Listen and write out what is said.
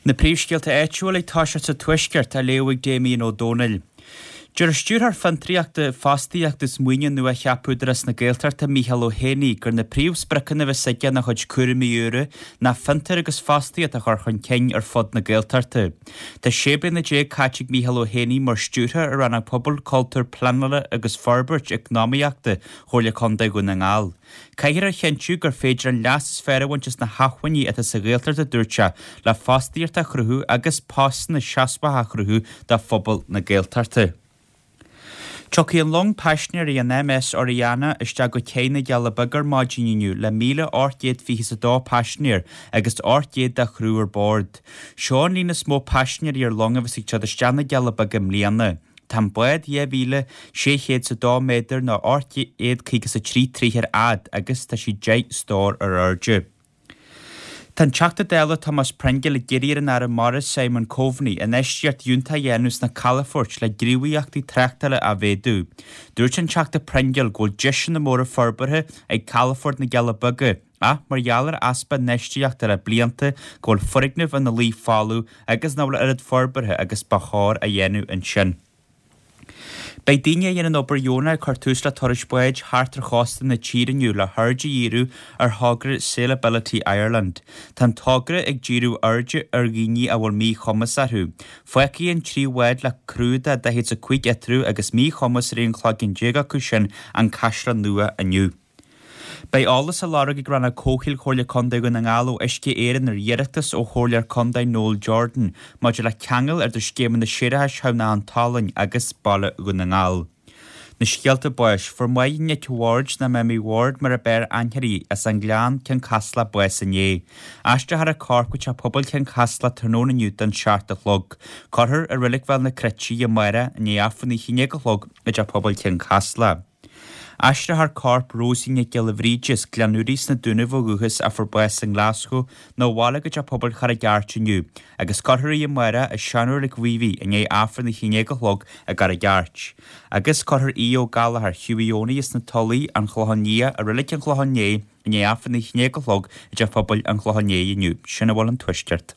Na príomhscéalta áitiúla ag toiseacht sa Tuaisceart á léamh ag Damien Ó Dónaill. Deir Stiúrthóir Fiontraíochta, Fostaíochta is Maoine nua-cheaptha Údarás na Gaeltachta, Micheál Ó hÉanaí, gur na príomhspriocanna a bheas aige ina chuid cúraimí úra ná fiontar agus fostaíocht a chur chun cinn ar fud na Gaeltachta. Tá 16 bliana caite ag Micheál Ó hÉanaí mar Stiúrthóir ar Rannóg Pobail, Cultúir, Pleanála agus Forbairt Eacnamaíochta Chomhairle Contae Dhún na nGall. Caithfear a chinntiú gur féidir an leas is fearr a bhaint as na hacmhainní atá sa Ghaeltacht, a dúirt sé, le fostaíocht a chruthú agus postanna seasmhacha a chruthú do phobal na Gaeltachta. Tiocfaidh an long paisinéirí an MS Oriana isteach go cé na gCealla Beaga ar maidin inniu le 1,822 paisinéir agus 800 dá chriú ar bord. Seo an líon is mó paisinéirí ar long a bheas ag teacht isteach na gCealla Beaga i mbliana. Tá an bád 2,602 méadar nó 853 troigh ar fhad agus tá sí 10 stór ar airde. Tá an Teachta Dála Tomás Pringle ag iarraidh ar an Aire Mara Simon Coveney infheistíocht fhiúntach a dhéanamh sna calafoirt le gníomhaíochtaí tráchtála a mhéadú. Dúirt an Teachta Pringle go bhfuil deiseanna móra forbartha ag Calafort na gCealla Beaga ach mar gheall ar easpa infheistíochta le blianta go bhfuil foirgnimh ina luí folamh agus nach bhfuil oiread forbartha agus ba chóir á dhéanamh ansin. Beidh daoine a dhéanann obair dheonach ag cur tús le turais báid thart ar chósta na tíre inniu le haird a dhíriú ar thogra Sailability Ireland. Tá an togra ag díriú airde ar dhaoine a bhfuil míchumas orthu. Fágfaidh an 3 bhád le criú de 45 eatarthu agus míchumas ar aon chloigeann acu sin an Caisleán Nua inniu. Beidh eolas á lorg ag Rannóg Comhshaoil Chomhairle Contae Dhún na nGall ó Uisce Éireann ar iarratas ó Chomhairleoir Contae Noel Jordan maidir le ceangal idir scéimeanna séarachais Thamhnach an tSalainn agus Baile Dhún na nGall. Na scéalta báis, Fuair Máire Nic Bhaird nó Mamie Ward mar ab fhearr aithne uirthi, as an nGleann, Cionn Caslach, bás inné. Aistreofar a corp go Teach Pobail Chionn Caslach tráthnóna inniu don 7 a chlog. Cuirfear i Reilig Bhéal na Cruite í amárach i ndiaidh Aifreann a 11 a chlog i dTeach Pobail Chionn Caslach. Aistreofar corp Rosie Nic Giolla Bhríde as Gleann Úraí sna Dúnaibh ó dhúchas a fuair bás i nGlaschú 'na bhaile go Teach Pobail Charraig Airt inniu agus cuirfear í amárach i seanreilig Mhíobhaigh i ndiaidh Aifreann a 11 a chlog i gCarraig Airt. Agus cuirfear Aodh Ó Gallchóir, Hughie Owenie as na Tulaigh, An Clochán Liath, i Reilig an Chlocháin Léith i ndiaidh Aifreann a 11 a chlog i dTeach Pobail an Chlocháin Léith inniu. Sin a bhfuil ón Tuaisceart.